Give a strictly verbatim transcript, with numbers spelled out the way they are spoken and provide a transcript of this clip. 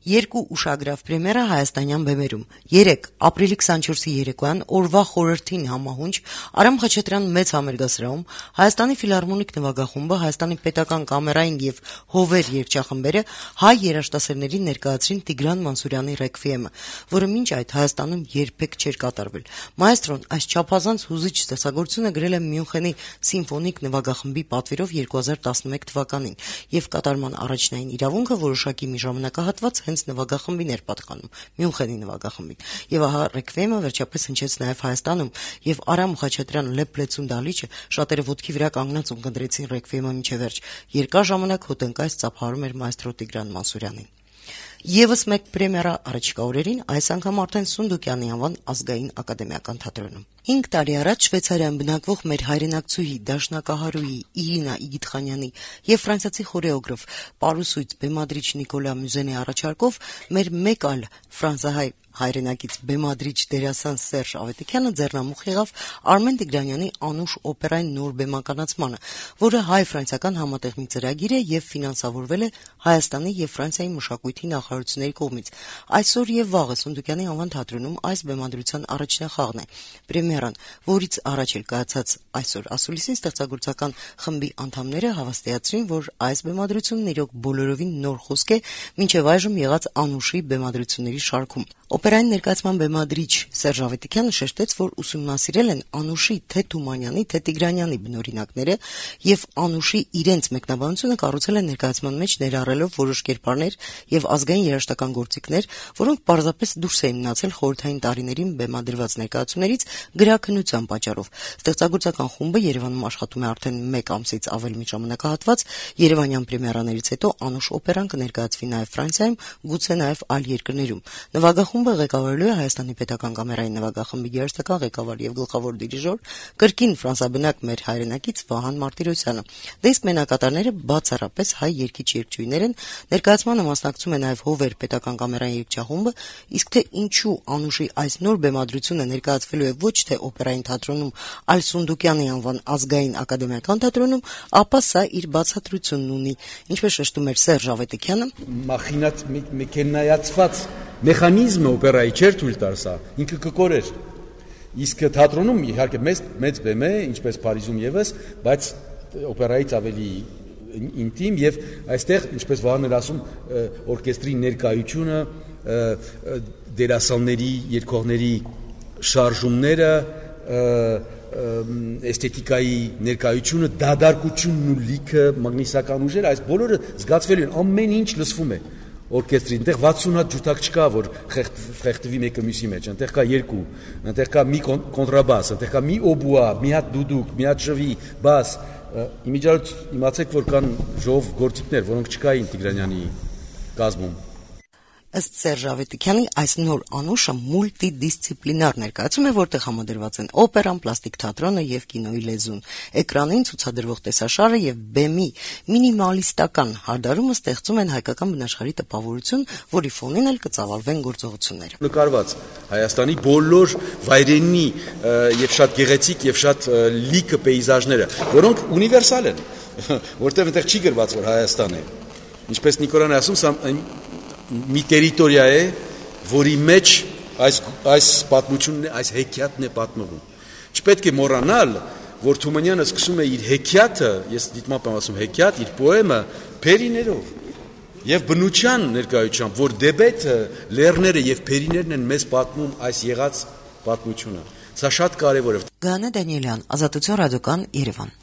Երկու ուշագրավ պրեմիերա հայաստանյան բեմերում։ Երեկ ապրիլի քսանչորսի երեկոյան օրվա խորհրդին համահունչ Արամ Խաչատրյան մեծ համերգասրահում Հայաստանի ֆիլհարմոնիկ նվագախումբը, Հայաստանի պետական կամերային եւ հովեր երգչախմբերը հայ երաժշտասերներին ներկայացրին Տիգրան Մանսուրյանի ռեքվիեմը, որը մինչ այդ Հայաստանում երբեք չէր կատարվել։ Մայստրոն այս չափազանց հուզիչ ստեղծագործությունը գրել է Մյունխենի սիմֆոնիկ նվագախմբի պատվիրով երկու հազար տասնմեկ թվականին եւ կատարման առաջնային իրավունքը որոշակի մի ժամանակահատված հենց նվագախմբին էր պատկանում, Մյունխենի նվագախմբին։ Եւ ահա ռեքվիեմը վերջապես հնչեց նաեւ Հայաստանում, եւ Արամ Խաչատրյան Լեփլեցուն դալիճը շատերը ոտքի վրա կանգնած ունկնդրեցին ռեքվիեմը մինչեւ վերջ։ Երկար ժամանակ հոտնկայս ծափարում էր մայստրո Տիգրան Մանսուրյանին։ Եվս մեկ պրեմիերա առաջիկա օրերին, այս անգամ արդեն Սունդուկյանի անվան ազգային ակադեմիական թատրոնում։ Հինգ տարի առաջ Շվեյցարիայում բնակվող մեր հայրենակցուհի դաշնակահարուհի Իրինա Իգիթխանյանի եւ ֆրանսիացի խորեոգրաֆ պարուսույց բեմադրիչ Նիկոլա Մյուզենի առաջարկով մեր մեկ այլ ֆրանսահայ հայրենակից բեմադրիչ դերասան Սերժ Ավետիքյանը ձեռնամուխ եղավ Արմեն Տիգրանյանի Անուշ օպերային նոր բեմականացմանը, որը հայ-ֆրանսիական համատեղ մի ծրագիր է եւ ֆինանսավորվել է Հայաստանի եւ Ֆրանսիայի մշակույթի նախարարությունների կողմից։ Այսօր եւ վաղը Սունդուկյանի անվան թատրոնում այս բեմադրության առաջնախաղն է։ Պրեմիերան, որից առաջ էլ կայացած այսօր ասուլիսին ստեղծագործական խմբի անդամները հավաստիացրին, որ այս բեմադրությունն իրոք բոլորովին նոր խոսք է մինչեւ այժմ եղած Անուշի բեմադրությունների շարքում։ Օպերային ներկայացման բեմադրիչ Սերժ Ավետիքյանը շեշտեց, որ ուսումնասիրել են Անուշի թե Թումանյանի, թե Տիգրանյանի բնօրինակները եւ Անուշի իրենց մեկնաբանությունը կառուցել են ներկայացման մեջ ներառելով որոշ կերպարներ եւ ազգային երաժշտական գործիքներ, որոնք պարզապես դուրս էին մնացել խորհրդային տարիներին բեմադրված ներկայացումներից գրաքննության պատճառով։ Ստեղծագործական խումբը Երևանում աշխատում է արդեն մեկ ամսից ավելի մի ժամանակահատված։ Երևանյան պրեմիերաներից հետո Անուշ օպերան կներկայացվի նաեւ Ֆրանսիայում, գուցե նաեւ այլ երկրներում։ Նվագախումբը ղեկավարելու է Հայաստանի պետական կամերային նվագախմբի երաժշտական ղեկավար եւ գլխավոր դիրիժոր, կրկին ֆրանսաբնակ մեր հայրենակից Վահան Մարտիրոսյանը։ Դիսկ մենակատարները բացառապես հայ երգիչ-երգչուհիներ են, ներկայացմանը մասնակցում է նաեւ Հովեր պետական կամերային երգչախումբը, իսկ թե ինչու Անուշի այս նոր բեմադրությունը ներկայացվելու է ոչ թե օպերային թատրոնում, այլ Սունդուկյանի անվան ազգային ակադեմիական թատրոնում, ապա սա իր բացատրությունն ունի։ Ինչպես շեշտում էր Սերժ Ավետիքյանը, մախինած մեքենայացված մեխանիզմը օպերայի չէր թույլ տար սա, ինքը կկորեր։ Իսկ թատրոնում իհարկե մեծ մեծ բեմ է, ինչպես Փարիզում եւս, բայց օպերայից ավելի ինտիմ եւ այստեղ, ինչպես Վահանն էր ասում, օրկեստրի ներկայությունը, դերասանների, երգողների շարժումները, էսթետիկայի ներկայությունը, դադարկությունն ու լիքը, մագնիսական ուժերը, այս բոլորը զգացվելու են, ամեն ինչ լսվում է օրկեստրի, այնտեղ վաթսուն հատ ջութակ չկա, որ խեղդվի մեկը մյուսի մեջ, այնտեղ կա երկու, այնտեղ կա մի կոնտրաբաս, այնտեղ կա մի օբուա, մի հատ դուդուկ, մի հատ շվի, բաս, իմիջիայլոց իմացեք, որ կան ժողով գործիքներ, որոնք չկային Տիգրանյանի կազմում։ Ըստ Սերժ Ավետիքյանի այս նոր Անուշը մուլտիդիսցիպլինար ներկայացում է, որտեղ համադրված են օպերան, պլաստիկ թատրոնը եւ կինոյի լեզուն։ Էկրանին ցուցադրվող տեսաշարը եւ բեմի մինիմալիստական հարդարումը ստեղծում են հայկական բնաշխարհի տպավորություն, որի ֆոնին էլ կծավալվեն գործողությունները։ Նկարված Հայաստանի բոլոր վայրենի եւ շատ գեղեցիկ եւ շատ լիքը պեյզաժները, որոնք ունիվերսալ են, որտեղ այնտեղ չի գրված, որ Հայաստան է։ Ինչպես Նիկոլան է ասում, սա մի տերիտորիա է, որի մեջ այս այս պատմությունն է, այս հեքիաթն է պատմվում։ Չպետք է մոռանալ, որ Թումանյանը սկսում է իր հեքիաթը, ես դիտմամբ եմ ասում հեքիաթ, իր պոեմը փերիներով եւ բնության ներկայությամբ, որ դեբեթը, լեռները եւ փերիներն են մեզ պատմում այս եղած պատմությունը։ Սա շատ կարեւոր է։ Գանե Դանիելյան, Ազատություն ռադիոկան, Երևան։